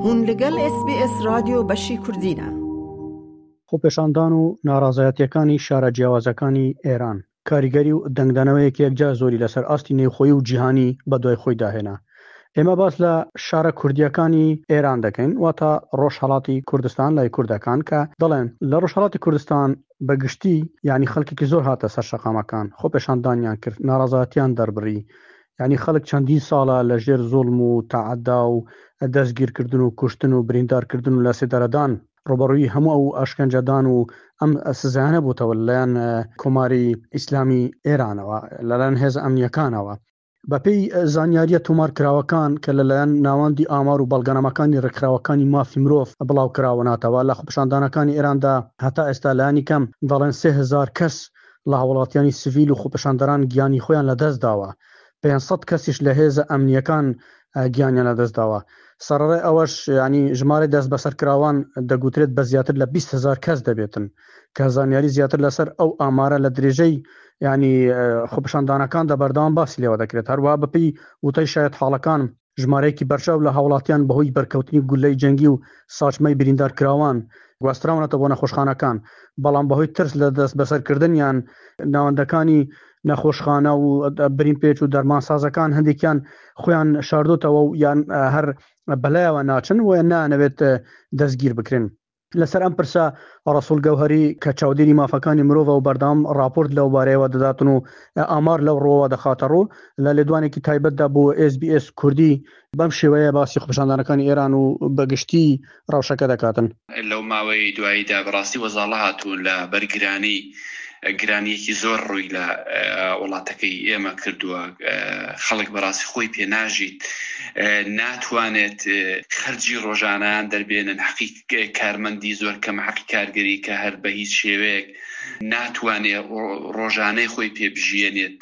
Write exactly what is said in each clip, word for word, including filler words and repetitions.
هون لەگەڵ ئێس بی ئێس ڕادیۆ بەشی کوردینە. خۆپێشاندان و ناڕەزایەتییەکانی شارە جیاوازەکانی ئێران کاریگەری و دەنگدانەوەیەکی یەکجار زۆری لەسەر ئاستی نێوخۆیی و جیهانی بەدوای خۆیدا هێنا. ئێمە باس لە شارە کوردییەکانی ئێران دەکەین، واتە ڕۆژهەڵاتی کوردستان لای کوردەکان، کە دەڵێن لە ڕۆژهەڵاتی کوردستان بە گشتی یعنی خەڵکێکی زۆر هاتە سەر شەقامەکان، خۆپێشاندانیان کرد، ناڕەزایەتیان دەربڕی. یعنی خەڵک چەندین ساڵە لە ژێر زوڵم و تەعەدا و دەستگیرکردن و کوشتن و بریندارکردن و لەسێدارەدان ڕوبەڕووی هەموو ئەو ئەشکەنجەدان و ئەم سزایانە بووتەوە لەلایەن کۆماری ئیسلامی ئێرانەوە، لەلایەن هێزە ئەمنیەکانەوە. بەپێی زانیاریە تۆمارکراوەکان کە لەلایەن ناوەندی ئامار و بەڵگەنامەکانی ڕێکخراوەکانی مافی مرۆڤ بڵاوکراوناتەوە، لە خۆپیشاندانەکانی ئێراندا هەتا ئێستا لایەنی کەم دەڵێن سێ هەزار کەس لە هاوڵاتیانی سڤیل و خۆپیشاندەران گیانی خۆیان لەدەست داوە، پێنج سەد کەسیش لە هێزە ئەمنیەکان گیانیان لەدەست داوە. سەرەڕای ئەوەش ینی ژمارەی دەست بەسەرکراوان دەگوترێت بە زیاتر لە بیست هەزار کەس دەبێتن، کە زانیاری زیاتر لەسەر ئەو ئامارە لە درێژەی ینی خۆپیشاندانەکاندا بەردەوام باسی لێوە دەکرێت. هەروەها بەپێی وتەی شایەت حاڵەکان ژمارەیەکی بەرچاو لە هاوڵاتیان بەهۆی بەرکەوتنی گولەی جەنگی و ساچمەی بریندارکراوان گواستراونەتە بۆ نەخۆشخانەکان، بەڵام بەهۆی ترس لە دەست بەسەرکردنیان ناوەندەکانی نەخۆشخانە و برینپێچ و دەرمانسازەکان هەندێکیان خۆیان شاردۆتەوە و یان هەر بەلایەوە ناچن و نانەوێت دەستگیر بکرن. لەسەر ئەم پرسە ڕەسوڵ گەوهەری کە چاودێری مافەکانی مرۆڤە و بەردەوام راپۆرت لەو بارەیەوە دەداتن و ئامار لەو ڕووەوە دەخاتە ڕوو، لە لێدوانێکی تایبەتدا بۆ ئێس بی ئێس کوردی بەم شێوەیە باسی خۆپیشاندانەکانی ئێران و بەگشتی ڕەوشەکە دەکاتن. لەو ماوەی دواییدا بەڕاستی وەزاڵە هاتوون لە بەرگرانی، گرانیەکی زۆر ڕووی لە وڵاتەکەی ئێمە کردووە. خەڵک بەڕاستی خۆی پێناژیت، ناتوانێت خەرجی ڕۆژانیان دەربێنن، حەقی کارمەندی زۆر کەم، حەقی کارگەری کە هەر بە هیچ شێوەیەک ناتوانێت ڕۆژانەی خۆی پێبژیێنێت.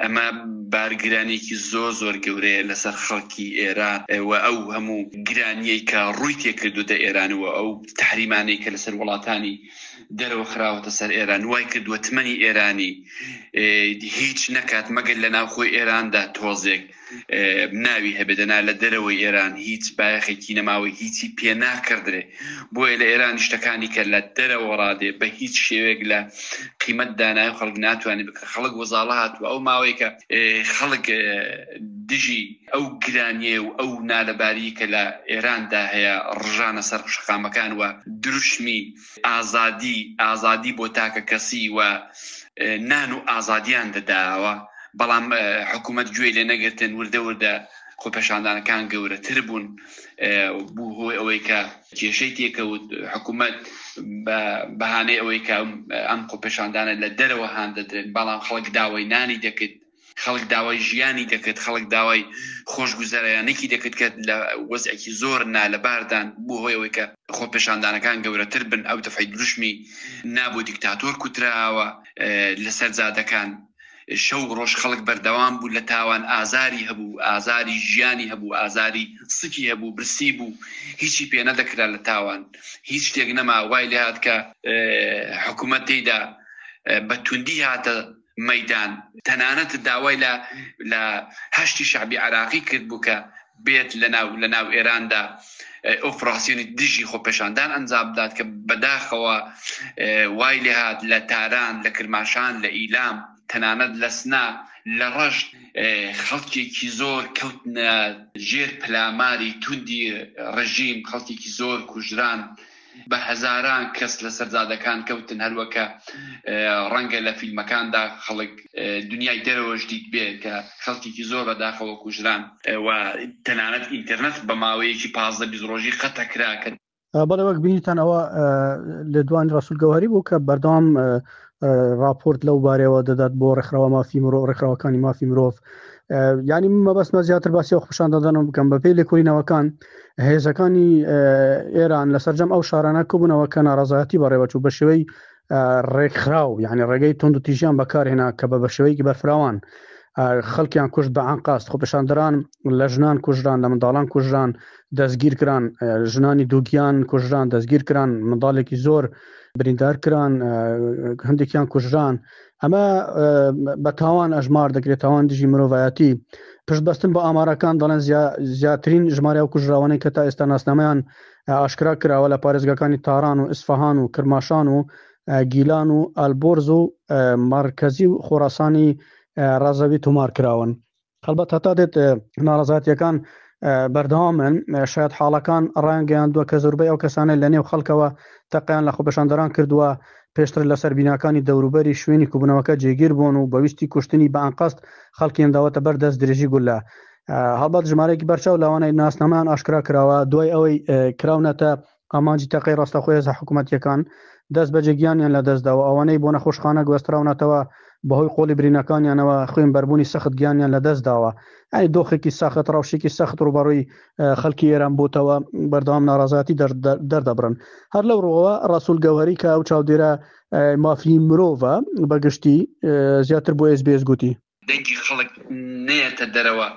ئەمە بارگرانێکی زۆر زۆر گەورەیە لەسەر خەڵکی ئێران و ئەو هەموو گرانیەی کە ڕووی تێکردووە ئێران و ئەو تحریمانەی کە لەسەر وڵاتانی دەرەوە خراوەتە سەر ئێران وای کردووە تمەنی ئێرانی هیچ نەکات مەگەر لە ناوخۆی ئێراندا تۆزێک ناوی هەبێت، دەنا لە دەرەوەی ئێران هیچ بایەخێکی نەماوە، هیچی پێ ناکردرێ. بۆیە لە ئێران شتەکانی کە لە دەرەوە ڕادێ بە هیچ شێوەیەک لە قیمەت دانای خەڵک ناتوانێت بکە. خەڵک وەزاڵە هاتووە ئەو ماوەیە کە خەڵک دژی ئەو گرانیە و ئەو نالەباری کە لە ئێراندا هەیە ڕژانە سەر شەقامەکان و دروشمی ئازادی، ئازادی بۆ تاکە کەسی و نان و ئازادیان دەداوە، بەڵام حکوومەت گوێی لێ نەگرتن. وردە وردە خۆپێشاندانەکان گەورەتر بوون، بوو هۆی ئەوەی کە کێشەی تێکەوت. حکوومەت بە بەهانەی ئەوەی کە ئەم خۆپێشاندانە لە دەرەوە هان دەدرێن، بەڵام خەڵک داوای نانی دەکرد، خەڵک داوای ژیانی دەکرد، خەڵک داوای خۆشگوزەرانێکی دەکرد کە لە وەزعێکی زۆر نالەباردان. بوو هۆی ئەوەی کە خۆپێشاندانەکان گەورەتر بن. ئەو دەفعی دروشمی نابوو دیکتاتۆر کوتراوە لەسەر جادەکان. شەو ڕۆژ خەڵک بەردەوام بوو لە تاوان، ئازاری هەبوو، ئازاری ژیانی هەبوو، ئازاری سکی هەبوو، برسی بوو، هیچی پێ نەدەکرا لە تاوان، هیچ شتێک نەما. وای لێهات کە حکوومەت تێیدا بە توندی هاتە مەدان، تەنانەت داوای لە لە هەشتی شعبی عراقی کرد بوو کە بێت لەناو لەناو ئێراندا ئۆپراسیۆنی دژی خۆپێشاندان ئەنجام بدات، کە بەداخەوە وای لێهات لە تاران، لە کرماشان، لە ئیلام، تەنانەت لە سنا، لە ڕەشت خەڵکێکی زۆر کەوتنە ژێر پلاماری توندی ڕژیم، خەڵکێکی زۆر کوژران، بە هەزاران کەس لە سەرزادەکان کەوتن. هەروەکە ڕەنگە لە فیلمەکاندا خەڵک دنیای دەرەوەش دیت بێ کە خەڵکێکی زۆر بەداخەوە کوژران و تەنانەت ئینتەرنێت بە ماوەیەکی پازدە بیست ڕۆژی قەتع کرا. کە بەڵێ وەک بینیتان ئەوە لێدوانی ڕەسوڵ گەوهەری بوو کە بەردەوام راپۆرت لەو بارەیەوە دەدات بۆ ڕێکخراوە مافی مرۆڤ، ڕێکخراوەکانی مافی مرۆڤ. یعنی من مەبەستمە زیاتر باسی ئەو خۆپیشاندانە بکەم. بەپێی لێکۆڵینەوەکان هێزەکانی ئێران لە سەرجەم ئەو شارانە کۆبوونەوە کە ناڕەزایەتی بەڕێوەچوو بە شێوەی ڕێکخراو، یعنی ڕێگەی توند و تیژیان بەکارهێنا کە بە بە شێوەیەکی بەرفراوان. خەڵکیان کوشت بە ئەنقەست، خۆپێشاندەران لە ژنان کوژران، لە منداڵان کوژران، دەستگیر کران، ژنانی دووگیان کوژران، دەستگیر کران، منداڵێکی زۆر بریندار کران، هەندێکیان کوژران. ئەمە بە تاوان ئەژمار دەکرێت، تاوان دژی مرۆڤایەتی. پشت بەستن بە ئامارەکان دەڵێن زیاترین ژمارە ئەو کوژراوانەی کە تا ئێستا ناسنامەیان ئاشکرا کراوە لە پارێزگاکانی تاران و ئیسفەهان و کرماشان و گیلان و ئەلبۆرز و مەرکەزی و خۆراسانی ڕەزەوی تۆمار کراون. هەڵبەت هەتا دێت ناڕەزایەتیەکان بەردەوامن. شاید حاڵەکان ڕایانگەیاندووە کە زۆربەی ئەو کەسانەی لە نێو خەڵکەوە تەقیان لە خۆپێشاندەران کردووە پێشتر لەسەر بیناکانی دەوروبەری شوێنی کوبنەوەکە جێگیر بوون و بەویستی کوشتنی بە ئەنقەست خەڵکیان داوەتە بەر دەست درێژی گولە. هەڵبەت ژمارەیەکی بەرچاو لەوانەی ناسنامەیان ئاشکرا کراوە دوای ئەوەی کراونەتە ئامانجی تەقەی ڕاستەخۆی هێزە حکوومەتیەکان دەست بەجێ گیانیان لەدەستداوە. ئەوانەی بۆ نەخۆشخانە گواستراونەتەوە بەهۆی قۆڵی برینەکانیانەوە خوێن بەربوونی سەخت گیانیان لەدەستداوە. یعنی دۆخێکی سەخت، ڕەوشێکی سەخت ڕووبەڕووی خەڵکی ئێران بووتەوە، بەردەوام ناڕەزایەتی دەردەبڕن. هەر لەو ڕووەوە ڕەسوول گەوهەری کە ئەو چاودێرە مافی مرۆڤە بەگشتی زیاتر بۆ ئێس بی ئێس گوتی دەنگی خەڵک نێتە دەرەوە،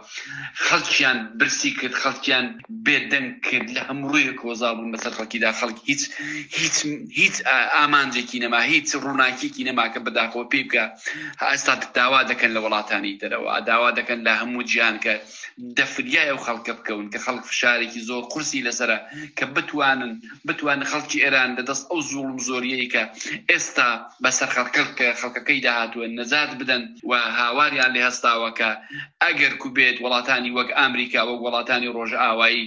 خەڵکیان برسی کرد، خەڵکیان بێدەنگ کرد، لە هەموو ڕوویەکەوە زاڵ بوون بەسەر خەڵکیدا. خەڵک هیچ هیچ هیچ ئامانجێکی نەما، هیچ ڕووناکیێکی نەما کە بەداخەوە پێی بکە. ئێستا داوا دەکەن لە وڵاتانی دەرەوە، داوا دەکەن لە هەموو جیهان کە دەفریای ئەو خەڵکە بکەون کە خەڵک فشارێکی زۆر قورسی لەسەرە کە بتوانن بتوانن خەڵکی ئێران لەدەست ئەو زوڵم زۆریەی کە ئێستا بەسەر خەڵکە خەڵکەکەی داهاتووە نەجات بدەن و هاواریان لێ هەستاوە کە ئەگەر کوبێت وڵاتانی وەک ئەمریکا وەک وڵاتانی ڕۆژئاوایی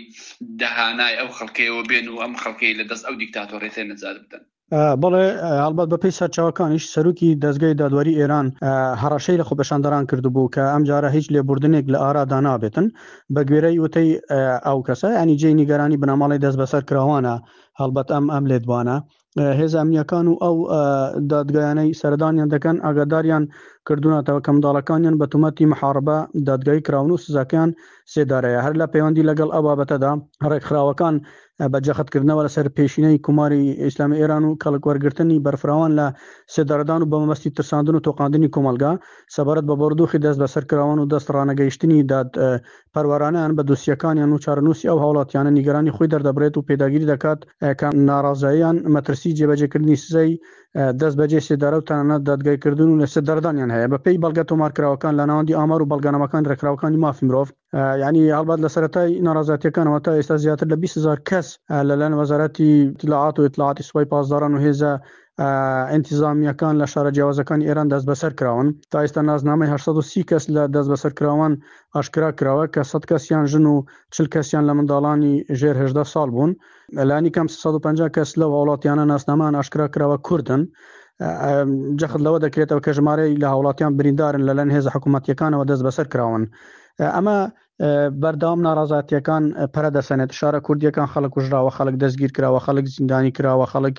دەهانای ئەو خەڵکەیەوە بێن و ئەم خەڵکەی لەدەست ئەو دیکتاتۆڕێتە نەجات بدەن. بەڵێ، هەڵبەت بەپێی سەرچاوەکانیش سەرۆکی دەستگای دادوەری ئێران هەڕەشەی لە خۆپێشاندەران کردبوو کە ئەمجارە هیچ لێبوردنێک لە ئارادا نابێتن. بە گوێرەی وتەی ئەو کەسە، ینی جێی نیگەرانی بنەماڵەی دەست بەسەر کراوانە. هەڵبەت ئەم ئەم لێدوانە هێزە ئەمنیەکان و ئەو دادگایانەی سەردانیان دەکەن ئاگاداریان کردوونەتەوە کە منداڵەکانیان بە تۆمەتی محاربە دادگایی کراون و سزاکەیان سێدارەیە. هەر لە پەیوەندی لەگەڵ ئەو بابەتەدا ڕێکخراوەکان بە جەختکردنەوە لەسەر پێشینەی کۆماری ئیسلامی ئێران و کەڵک وەرگرتنی بەرفراوان لە سێدارەدان و بە مەبەستی ترساندن و تۆقاندنی کۆمەڵگا سەبارەت بە بارودۆخی دەست بەسەرکراوان و دەست ڕانەگەیشتنی داد پەروەرانیان بە دۆسیەکانیان و چارەنووسی ئەو هاوڵاتیانە نیگەرانی خۆی دەردەبرێت و پێداگیری دەکات کە ناڕازاییان مەترسی جێبەجێکردنی سزای دەست بەجێ سێدارە و تەنانەت دادگایکردن و لە سێدارەدانیان هەیە. بەپێی بەڵگە تۆمارکراوەکان لە ناوەندی ئامار و بەڵگەنامەکان ڕێکخراوەکانی مافی مرۆڤ، یعنی هەڵبەت لە سەرەتای ناڕەزایەتیەکانەوە تا ئێستا زیاتر لە بیست هەزار کەس لەلایەن وەزارەتی ئیتلاعات و ئیتلاعاتی سوپای پاسداران و هێزە ئینتیزامیەکان لە شارە جیاوازەکانی ئێران دەست بەسەر کراون. تا ئێستا نازنامەی هەشت سەد و سی کەس لە دەست بەسەر کراوان ئاشکرا کراوە کە سەد کەسیان ژن و چل کەسیان لە منداڵانی ژێر هەژدە ساڵ بوون. لانی کەم سەد و پەنجا کەس لەو هاوڵاتیانە ناسنامان ئاشکرا کراوە کوردن. جەخت لەوە دەکرێتەوە کە ژمارەی لە هاوڵاتیان بریندارن لەلایەن هێزە حکوومەتیەکانەوە دەست بەسەر کراون. ئەمە بەردەوام ناڕازاتیەکان پەرە دەسەنێت. شارە کوردیەکان خەڵک کوژراوە، خەڵک دەستگیر کراوە، خەڵک زیندانی کراوە، خەڵک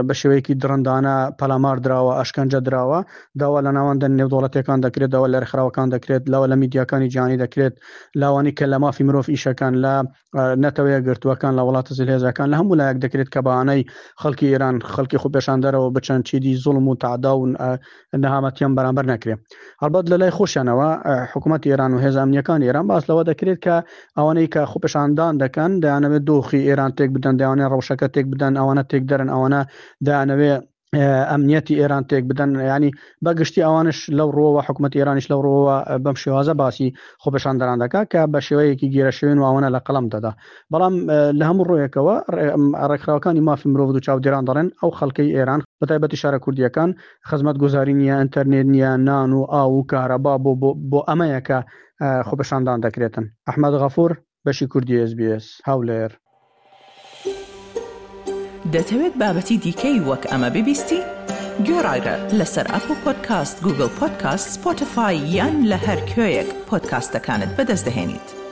بە شێوەیەکی دڕندانە پەلامار دراوە، ئەشکەنجە دراوە. داوا لە ناوەندە نێودەوڵەتیەکان دەکرێت، داوا لە ڕێکخراوەکان دەکرێت، لاوە لە میدیاکانی جیهانی دەکرێت، لاوانی کە لە مافی مرۆڤ ئیشەکان لە نەتەوەیە گرتووەکان لە وڵاتە زلهێزەکان لە هەموو لایەک دەکرێت کە بەهانەی خەڵکی ئێران خەڵکی خۆپێشاندەرەوە بچەن چیدی زوڵم و تەعدا و نەهامەتیان بەرامبەر نەکرێت. هەڵبەت لە لای خۆشیانەوە حکوومەتی ئێران و هێزە ئەمنیەکان ئێران باس لەوە دەکرێت کە ئەوانەی کە خۆپێشاندان دەکەن دەیانەوێت دۆخی ئێران تێک بدەن، دەیانەوێت ڕەوشەکە تێک بدەن، ئەوانە تێک دەرن، ئەوانە دەیانەوێت ئەمنیەتی ئێران تێک بدەن. ینی بەگشتی ئەوانش لەو ڕووەوە حکوومەت ئێرانیش لەو ڕووەوە بەم شێوازە باسی خۆپێشاندەران دەکات کە بە شێوەیەکی گێرەشێوێن و ئەوانە لە قەڵەم دەدا. بەڵام لە هەموو ڕوویەکەوە ڕێکخراوەکانی مافی مرۆڤ و چاودێران دەڵێن ئەو خەڵکەی ئێران بە تایبەتی شارە کوردیەکان خزمەتگوزاری نییە، ئینتەرنێت نییە، نان و ئاو و کارەبا بۆ بۆ ئەمەیە کە خۆپێشاندان دەکرێتن. ئەحمەد غەفور، بەشی کوردی ئێس بی ئێس، هەولێر. دەتەوێت بابەتی دیکەی وەک ئەمە ببیستی؟ گۆڕایرە لەسەر ئەپڵ پۆدکاست، گوگل پۆدکاست، سپۆتفای یان لە هەر کوێیەک پۆدکاستەکانت بەدەست دەهێنیت.